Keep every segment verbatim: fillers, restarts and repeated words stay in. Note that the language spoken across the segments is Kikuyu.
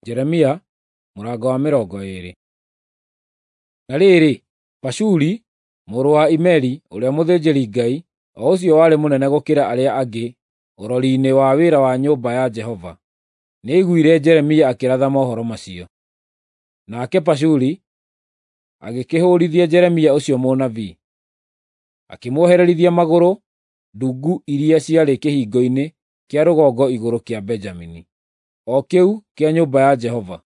Jeremia mũrango wa mĩrongo ĩĩrĩ. Na rĩrĩ, Pashuri mũrũ wa Imeri ũrĩa mũthĩnjĩri-Ngai, o ũcio warĩ mũnene gũkĩra arĩa angĩ ũrori-inĩ wa wĩra wa nyũmba ya Jehova, nĩaiguire Jeremia akĩratha mohoro macio. Nake Pashuri agĩkĩhũũrithia Jeremia ũcio mũnabii, akĩmuohererithia magũrũ ndungu iria ciarĩ kĩhingo-inĩ kĩa rũgongo igũrũ kĩa Benjamini, o kĩu kĩa nyũmba ya Jehova.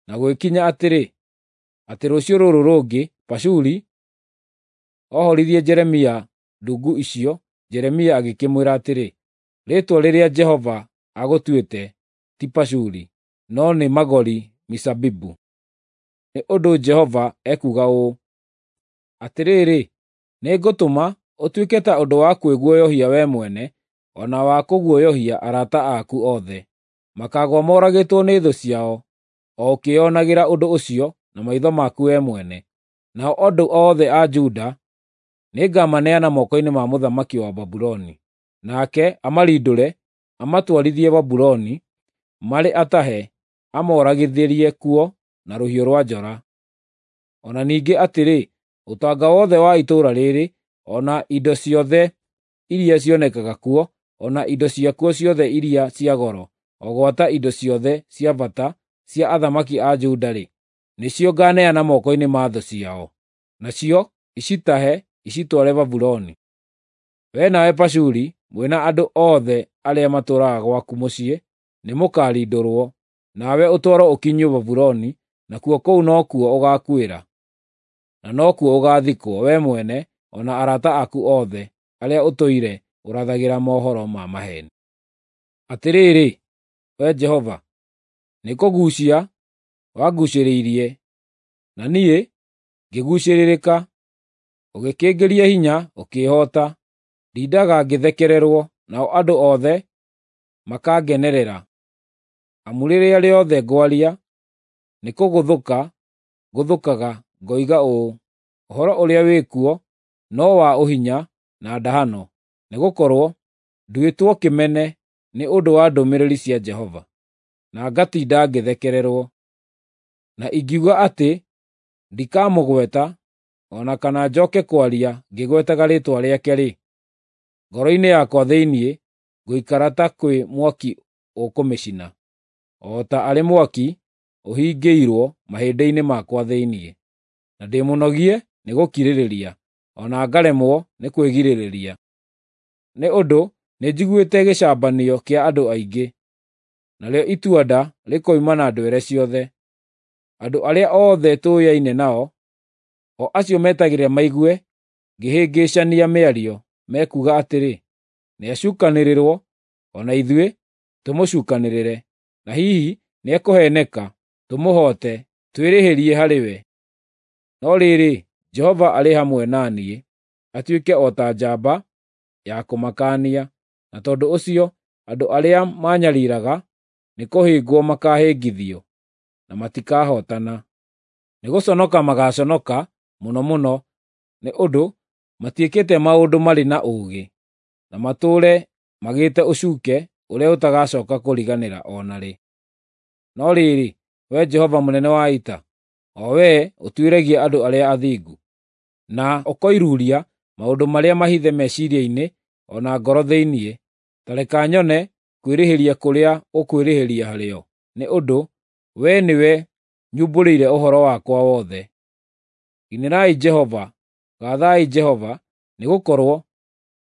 Na gũgĩkinya atĩrĩ, atĩ rũciũ rũrũ rũngĩ Pashuri ohorithie Jeremia ndungu icio, Jeremia agĩkĩmwĩra atĩrĩ, “Rĩĩtwa rĩrĩa Jehova agũtuĩte ti Pashuri, no nĩ Magori-Misabibu. Nĩ ũndũ Jehova ekuuga ũũ: Atĩrĩrĩ, nĩngũtũma ũtuĩke ta ũndũ wa kwĩguoyohia wee mwene, o na wa kũguoyohia arata aku othe. Makaagũa moragĩtwo nĩ thũ ciao, o ũkĩĩonagĩra ũndũ ũcio na maitho maku wee mwene. Nao andũ othe a Juda nĩngamaneana moko-inĩ ma mũthamaki wa Babuloni, nake amarindũre amatwarithie Babuloni marĩ atahe amooragithĩrie kuo na rũhiũ rwa njora. O na ningĩ atĩrĩ, ũtonga wothe wa itũũra rĩrĩ, o na indo ciothe iria cionekaga kuo, o na indo ciakuo ciothe iria cia goro, o gwata indo ciothe cia bata cia athamaki a Juda-rĩ, nĩcio ngaaneana moko-inĩ ma thũ ciao, nacio icitahe icitware Babuloni. Wee nawe Pashuri, mwĩ na andũ othe arĩa matũũraga gwaku mũciĩ nĩmũkarindũrwo, nawe ũtwarwo ũkinyio Babuloni, nakuo kũu nokuo ũgaakuĩra, na nokuo ũgaathikwo, wee mwene o na arata aku othe arĩa ũtũire ũrathagĩra mohoro ma maheeni. Atĩrĩrĩ, Wee Jehova, nĩkũguucia wanguucĩrĩirie, na niĩ ngĩguucĩrĩrĩka; ũgĩkĩngĩria hinya ũkĩĩhoota. Ndindaga ngĩthekererwo, nao andũ othe makangenerera. Amu rĩrĩa rĩothe ngwaria, nĩkũgũthũka ngũthũkaga ngoiga ũũ, “Ũhoro ũrĩa wĩ kuo no wa ũhinya na ndahano,” nĩgũkorwo nduĩtwo kĩmene nĩ ũndũ wa ndũmĩrĩri cia Jehova, na ngatinda ngĩthekererwo. Na ingiuga atĩ ndikamũgweta, o na kana njooke kwaria ngĩgwetaga rĩĩtwa rĩake-rĩ, ngoro-inĩ yakwa thĩinĩ ngũikara ta kwĩ mwaki ũkũmĩcina, o ta arĩ mwaki ũhingĩirwo mahĩndĩ-inĩ makwa thĩinĩ, na ndĩ mũnogie nĩ gũkirĩrĩria, o na ngaremwo nĩ kwĩgirĩrĩria. Nĩ ũndũ nĩnjiguĩte gĩcambanio kĩa andũ aingĩ, narĩo itua-nda rĩkoima na ndwere ciothe. Andũ arĩa othe tũũyaine nao, o acio metagĩrĩra maigue ngĩhĩngĩcania mĩario, mekuuga atĩrĩ, “Nĩacukanĩrĩrwo, o na ithuĩ tũmũcukanĩrĩre, na hihi nĩekũheeneka, tũmũhoote, twĩrĩhĩrie harĩ we.” No rĩrĩ, Jehova arĩ hamwe na niĩ, atuĩke o ta njamba ya kũmakania, na tondũ ũcio andũ arĩa maanyariiraga nĩkũhĩngwo makaahĩngithio, na matikahootana. Nĩgũconoka magaaconoka mũno mũno, nĩ ũndũ matiĩkĩte maũndũ marĩ na ũũgĩ, na matũũre magĩte ũcuuke ũrĩa ũtagacooka kũriganĩra o na rĩ. No rĩrĩ, Wee Jehova mũnene wa ita, o Wee ũtuĩragia andũ arĩa athingu, na ũkoiruuria maũndũ marĩa mahithe meciiria-inĩ o na ngoro thĩinĩ, ta reka nyone kwĩrĩhĩria kũrĩa ũkwĩrĩhĩria harĩo, nĩ ũndũ wee nĩwe nyumbũrĩire ũhoro wakwa wothe. Inĩrai Jehova! Gaathai Jehova, nĩgũkorwo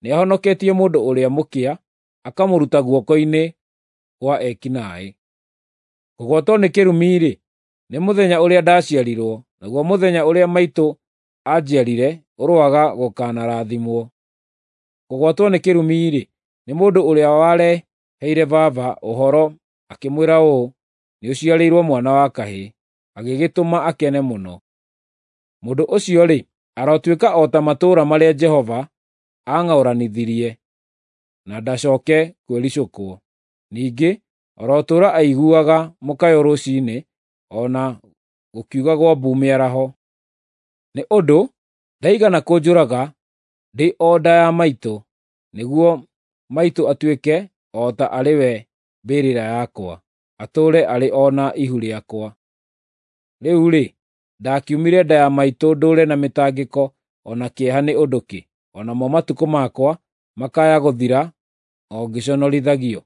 nĩahonoketie mũndũ ũrĩa mũkĩa akamũruta guoko-inĩ kwa eeki naaĩ. Kũgwatwo nĩ kĩrumi-rĩ, nĩ mũthenya ũrĩa ndaciarirwo, naguo mũthenya ũrĩa maitũ aanjiarire ũroaga gũkanarathimwo. Kũgwatwo nĩ kĩrumi-rĩ, nĩ mũndũ ũrĩa wareheire baba ũhoro akĩmwĩra ũũ, “Nĩũciarĩirwo mwana wa kahĩĩ,” agĩgĩtũma akene mũno. Mũndũ ũcio-rĩ, arotuĩka o ta matũũra marĩa Jehova aang'aũranithirie, na ndacooke kwĩricũkwo. Ningĩ arotũũra aiguaga mũkayo rũciinĩ, o na gũkiugagwo mbu mĩaraho. Nĩ ũndũ ndaigana kũnjũraga ndĩ o nda ya maitũ, nĩguo maitũ atuĩke o ta arĩ we mbĩrĩra yakwa, atũũre arĩ o na ihu rĩakwa. Rĩu-rĩ, ndakiumire nda ya maitũ ndũũre na mĩtangĩko o na kĩeha nĩ ũndũ kĩ? O namo matukũ makwa makaya gũthira o ngĩconorithagio.